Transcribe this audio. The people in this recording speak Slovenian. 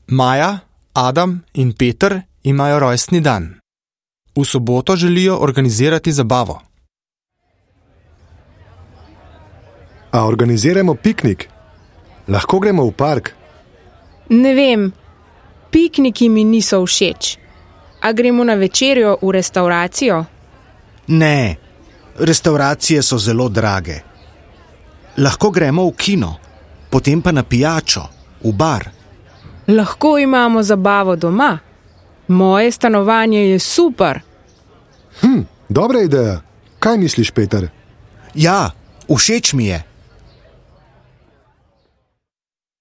Maja, Adam in Peter imajo rojstni dan. V soboto želijo organizirati zabavo. A organiziramo piknik? Lahko gremo v park? Ne vem, pikniki mi niso všeč. A gremo na večerjo v restavracijo? Ne, restavracije so zelo drage. Lahko gremo v kino, potem pa na pijačo, v bar. Lahko imamo zabavo doma. Moje stanovanje je super. Dobra ideja. Kaj misliš, Peter? Ja, všeč mi je.